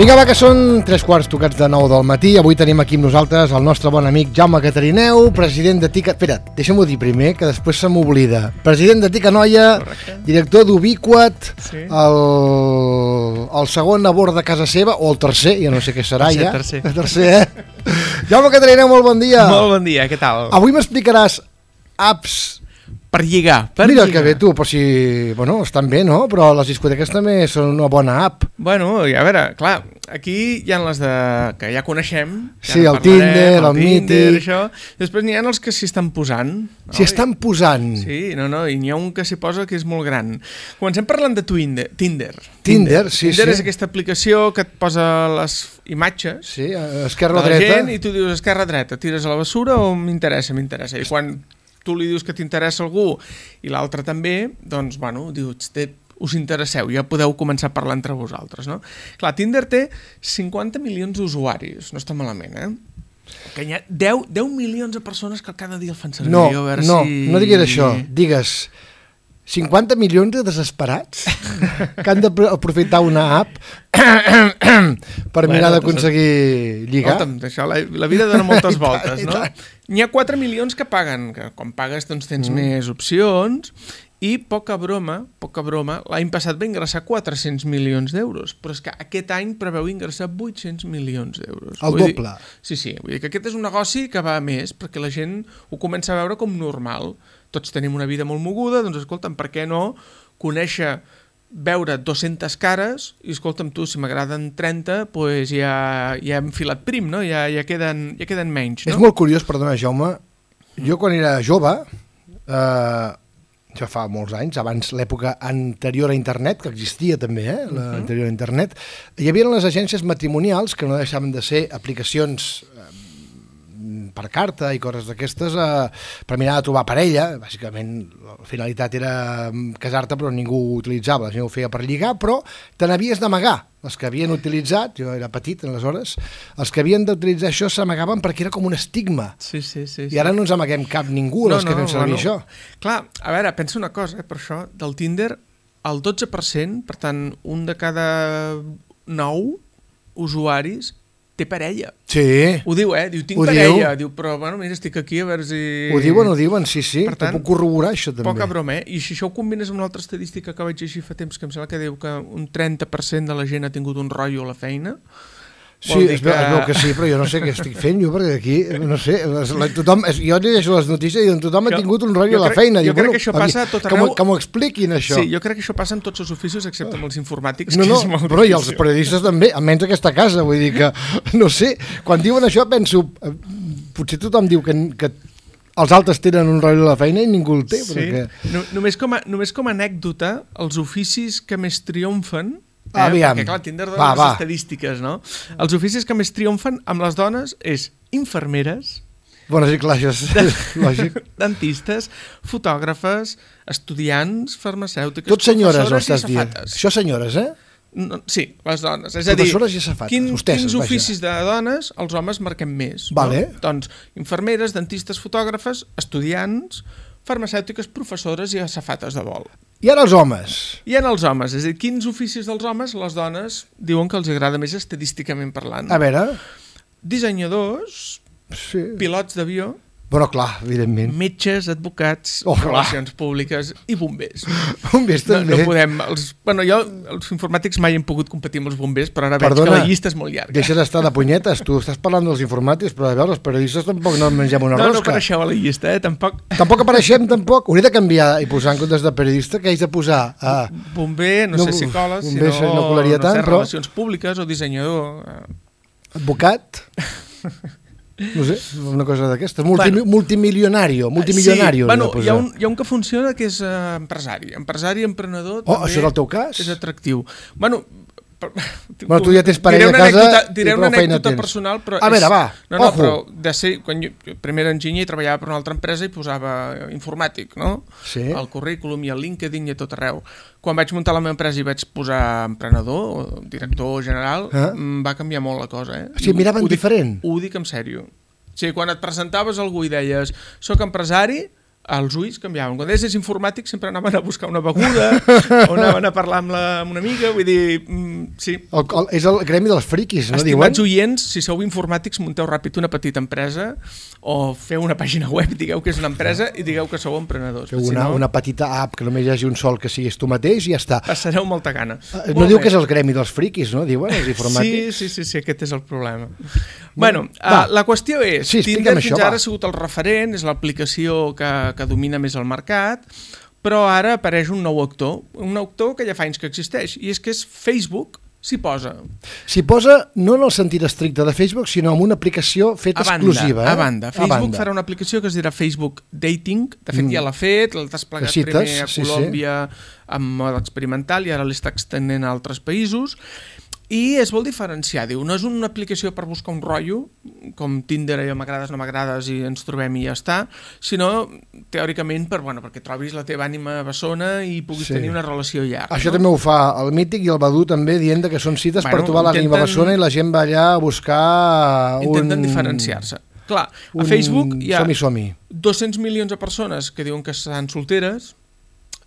Vinga, va, que són 3 quarts tocats de 9 del matí. Avui tenim aquí amb nosaltres el nostre bon amic Jaume Catarineu, president de Tica... Espera, deixa'm-ho dir primer, que després se m'oblida. President de Tica Noia, director d'Ubiquat, sí. el segon a bord de casa seva, o el tercer, ja no sé què serà ja. El tercer, Jaume Catarineu, molt bon dia. Molt bon dia, què tal? Avui m'explicaràs apps... Per lligar. Mira que bé tu, però si... Bueno, estan bé, no? Però les discoteques també són una bona app. Bueno, a veure, clar, aquí hi ha les de... que ja coneixem. Sí, el Tinder, el Mític... Això. Després n'hi ha els que s'hi estan posant. No? S'hi estan posant? Sí, i n'hi ha un que s'hi posa que és molt gran. Comencem parlant de Tinder. Tinder, sí, Tinder sí. És aquesta aplicació que et posa les imatges sí, esquerra o dreta. Gent, i tu dius esquerra o dreta, tires a la bessura o m'interessa. I quan tu li dius que t'interessa algú i l'altre també, doncs, bueno, dius, us interesseu, ja podeu començar a parlar entre vosaltres, no? Clar, Tinder té 50 milions d'usuaris, no està malament, Que hi ha 10 milions de persones que cada dia el fan servir. No diguis això, digues 50 milions de desesperats que han d'aprofitar una app per mirar d'aconseguir lligar. Això, la vida dona moltes voltes, no? N'hi ha 4 milions que paguen, que quan pagues doncs tens més opcions, i poca broma, l'any passat va ingressar 400 milions d'euros, però és que aquest any preveu ingressar 800 milions d'euros. El doble. Sí, vull dir que aquest és un negoci que va a més, perquè la gent ho comença a veure com normal. Tots tenim una vida molt moguda, doncs escolta'm, per què no conèixer, veure 200 cares i escolta'm tu, si m'agraden 30, doncs ja hem filat prim, no? Ja queden menys, no? És molt curiós, perdona Jaume, jo quan era jove, ja fa molts anys, abans l'època anterior a internet, que existia també, l'anterior a internet, hi havia les agències matrimonials que no deixaven de ser aplicacions per carta i coses d'aquestes per mirar de trobar parella. Bàsicament la finalitat era casar-te, però ningú ho utilitzava, la gent ho feia per lligar, però te n'havies d'amagar. Els que havien utilitzat, jo era petit aleshores, els que havien d'utilitzar això s'amagaven perquè era com un estigma. Sí. I ara no ens amaguem cap ningú, els que fem servir això. Clar, a veure, pensa una cosa, per això, del Tinder, el 12%, per tant, un de cada 9 usuaris té parella. Sí. Ho diu, diu, tinc parella. Diu, però, bueno, mira, estic aquí a veure si... Ho diuen, sí. Per tant, puc corroborar això també. Poca broma, I si això ho combines amb una altra estadística que vaig llegir fa temps, que em sembla que diu que un 30% de la gent ha tingut un rotllo a la feina. Sí, es veu que sí, però jo no sé què estic fent jo, perquè aquí, no sé, tothom, jo llegeixo les notícies i tothom ha tingut un rotllo a la feina. Jo crec que això passa a tot arreu. Que m'ho expliquin, això. Sí, jo crec que això passa en tots els oficis, excepte amb els informàtics, que és molt però i els periodistes també, almenys aquesta casa, vull dir que, no sé, quan diuen això penso, potser tothom diu que els altres tenen un rotllo a la feina i ningú el té. Sí, perquè... només com a anècdota, els oficis que més triomfen, perquè clar, Tinder dona les estadístiques, no? Els oficis que més triomfen amb les dones és infermeres, bueno, sí, clar, això és lògic. Dentistes, fotògrafes, estudiants, farmacèutiques, tot senyores, professores i safates. Això senyores, No, sí, les dones. És a dir, professores i safates. Quins oficis de dones els homes marquem més? Vale. No? Doncs infermeres, dentistes, fotògrafes, estudiants, farmacèutiques, professores i safates de vol. I ara els homes. I en els homes, és a dir, quins oficis dels homes les dones diuen que els agrada més estadísticament parlant? A veure... Dissenyadors, sí. Pilots d'avió... Bueno, clar, evidentment. Metges, advocats, relacions públiques i bombers. Bombers també. No podem... els informàtics mai hem pogut competir amb els bombers, però ara veig que la llista és molt llarga. Deixa d'estar de punyetes, tu estàs parlant dels informàtics, però a veure, els periodistes tampoc no mengem una rosca. No apareixeu a la llista, tampoc. Tampoc apareixem, tampoc. Hauria de canviar i posar en comptes de periodista, que haig de posar... Bomber, no sé, psicòleg, sinó relacions públiques o dissenyador. Advocat... No sé, una cosa d'aquesta. Multimilionari. Bueno, hi ha un que funciona que és empresari, emprenedor. Oh, això és el teu cas? És atractiu. Bueno, tu ja tens parella a casa diré una anècdota personal, però a veure, va, però quan jo primer era enginyer i treballava per una altra empresa i posava informàtic, no? Sí. Al currículum i al LinkedIn i a tot arreu. Quan vaig muntar la meva empresa i vaig posar emprenedor o director general, va canviar molt la cosa, O sigui, miraven diferent? Ho dic en sèrio. O sigui, quan et presentaves a algú i deies soc empresari, els ulls canviaven. Quan deies informàtic sempre anaven a buscar una beguda o anaven a parlar amb una amiga, vull dir, sí. És el gremi dels friquis, no diuen? Estimats oients, si sou informàtics, munteu ràpid una petita empresa o feu una pàgina web, digueu que és una empresa i digueu que sou emprenedors. Feu una petita app que només hi hagi un sol que siguis tu mateix i ja està. Passareu molta gana. No diu que és el gremi dels friquis, no? Diuen els informàtics. Sí, aquest és el problema. Bueno, la qüestió és, Tinder fins ara ha sigut el referent, és l'aplicació que domina més el mercat, però ara apareix un nou actor que ja fa anys que existeix, i és que és Facebook. S'hi posa. S'hi posa no en el sentit estricte de Facebook, sinó amb una aplicació feta exclusiva. A banda. Facebook farà una aplicació que es dirà Facebook Dating. De fet, ja l'ha fet, l'ha desplegat primer a Colòmbia amb mode experimental i ara l'està extendent a altres països. I es vol diferenciar, diu, no és una aplicació per buscar un rotllo, com Tinder, allò m'agrades, no m'agrades i ens trobem i ja està, sinó teòricament perquè trobis la teva ànima bessona i puguis tenir una relació llarga. Això també ho fa el Mític i el Badú també, dient que són cites per trobar l'ànima bessona i la gent va allà a buscar Intenten diferenciar-se. Clar, a Facebook hi ha som-hi. 200 milions de persones que diuen que estan solteres,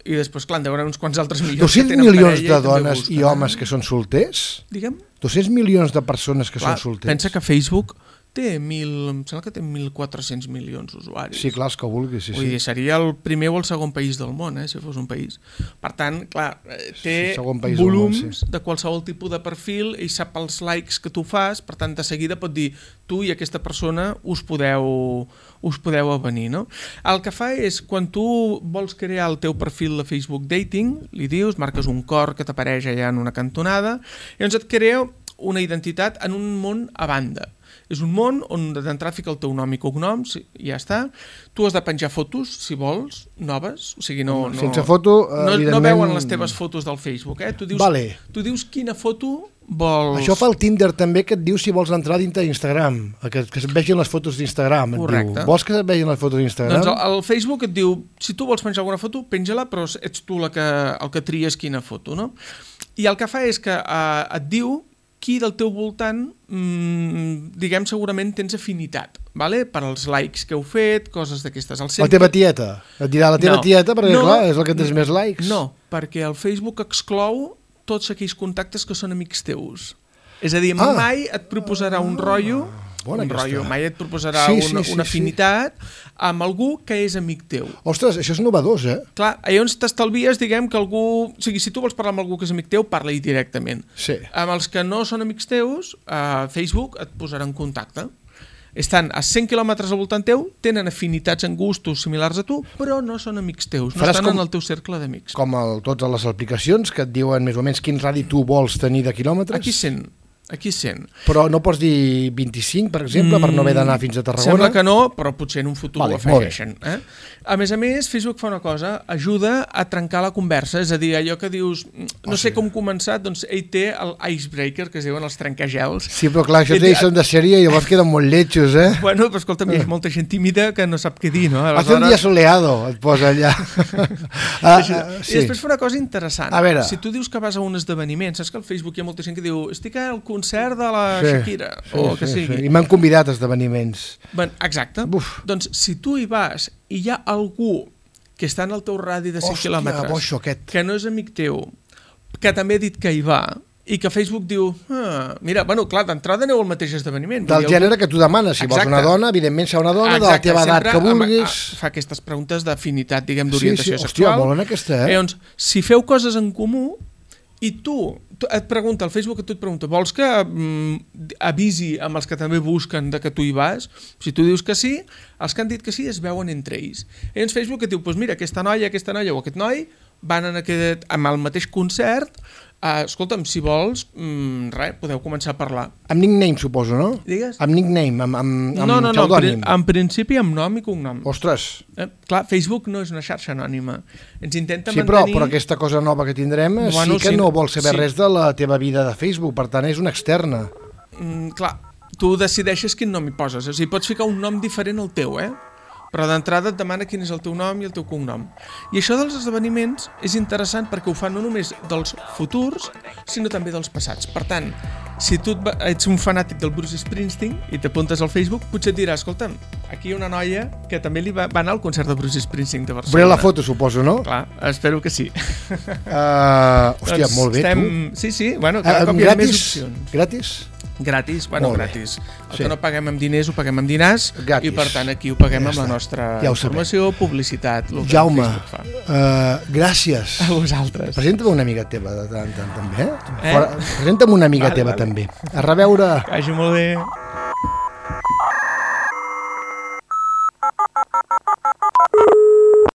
i després, clar, en deuen uns quants altres milions 200 milions de dones i homes que són solters? Digue'm? 200 milions de persones que són solters. Pensa que Facebook té em sembla que té 1.400 milions d'usuaris. Sí, clar, els que vulguis. Vull dir, seria el primer o el segon país del món, si fos un país. Per tant, clar, té volums de qualsevol tipus de perfil i sap els likes que tu fas, per tant, de seguida pot dir tu i aquesta persona us podeu avenir, no? El que fa és, quan tu vols crear el teu perfil de Facebook Dating, li dius, marques un cor que t'apareix allà en una cantonada, i llavors et crea una identitat en un món a banda. És un món on d'entrada fica el teu nom i cognoms i ja està. Tu has de penjar fotos, si vols, noves. O sigui, sense foto, evidentment... No veuen les teves fotos del Facebook, Tu dius quina foto vols... Això fa el Tinder també, que et diu si vols entrar dintre d'Instagram, que es vegin les fotos d'Instagram. Correcte. Vols que es vegin les fotos d'Instagram? Doncs el Facebook et diu, si tu vols penjar alguna foto, penja-la, però ets tu el que tries quina foto, no? I el que fa és que et diu qui del teu voltant, diguem, segurament tens afinitat, per als likes que heu fet, coses d'aquestes. La teva tieta? Et dirà la teva tieta, perquè clar, és el que tens més likes. No, perquè el Facebook exclou tots aquells contactes que són amics teus. És a dir, mai et proposarà un rotllo, mai et proposarà una afinitat amb algú que és amic teu. Ostres, això és novedós, Clar, llavors t'estalvies, diguem, que algú... O sigui, si tu vols parlar amb algú que és amic teu, parla-hi directament. Sí. Amb els que no són amics teus, Facebook et posarà en contacte. Estan a 100 quilòmetres al voltant teu, tenen afinitats en gustos similars a tu, però no són amics teus, no estan en el teu cercle d'amics. Com totes les aplicacions que et diuen més o menys quin radi tu vols tenir de quilòmetres? Aquí 100. Però no pots dir 25, per exemple, per no haver d'anar fins a Tarragona? Sembla que no, però potser en un futur ho afegeixen. A més, Facebook fa una cosa, ajuda a trencar la conversa, és a dir, allò que dius, no sé com començar, doncs ell té l'icebreaker, que es diuen els trencagels. Sí, però clar, això són de sèrie i llavors queden molt lletjos, Bueno, però escolta'm, hi ha molta gent tímida que no sap què dir, no? Hace un dia soleado, et posa allà. I després fa una cosa interessant. A veure. Si tu dius que vas a un esdeveniment, saps que al Facebook hi ha molta gent que diu estic al concert de la Shakira, o el que sigui. I m'han convidat a esdeveniments. Exacte. Doncs si tu hi vas i hi ha algú que està en el teu radi de 5 quilòmetres, que no és amic teu, que també ha dit que hi va, i que Facebook diu, mira, clar, d'entrada aneu al mateix esdeveniment. Del gènere que tu demanes, si vols una dona, evidentment serà una dona, de la teva edat que vulguis. Fa aquestes preguntes d'afinitat, diguem, d'orientació sexual. Hòstia, molt en aquesta, Llavors, si feu coses en comú, i tu et pregunta, el Facebook et pregunta, vols que avisi amb els que també busquen que tu hi vas? Si tu dius que sí, els que han dit que sí es veuen entre ells. I llavors Facebook et diu, doncs mira, aquesta noia o aquest noi van amb el mateix concert, escolta'm, si vols, podeu començar a parlar. Amb nickname, suposo, no? Digues? Amb nickname, amb pseudònim. No, en principi amb nom i cognom. Ostres! Clar, Facebook no és una xarxa anònima. Ens intenta mantenir... Sí, però aquesta cosa nova que tindrem sí que no vol saber res de la teva vida de Facebook, per tant és una externa. Clar, tu decideixes quin nom hi poses, o sigui, pots ficar un nom diferent al teu, però d'entrada et demana quin és el teu nom i el teu cognom. I això dels esdeveniments és interessant perquè ho fan no només dels futurs, sinó també dels passats. Per tant, si tu ets un fanàtic del Bruce Springsteen i t'apuntes al Facebook, potser et dirà, escolta'm, aquí hi ha una noia que també li va anar al concert de Bruce Springsteen de Barcelona. Veuré la foto, suposo, no? Clar, espero que sí. Hòstia, molt bé, tu. Sí, bueno, cada cop hi ha més opcions. Gratis? Gratis, bueno, gratis. El que no paguem amb diners ho paguem amb diners gratis. I per tant aquí ho paguem amb la nostra informació, publicitat. Jaume, gràcies. A vosaltres. Presenta'm una amiga teva també. Presenta'm una amiga teva també. A reveure. Que vagi molt bé.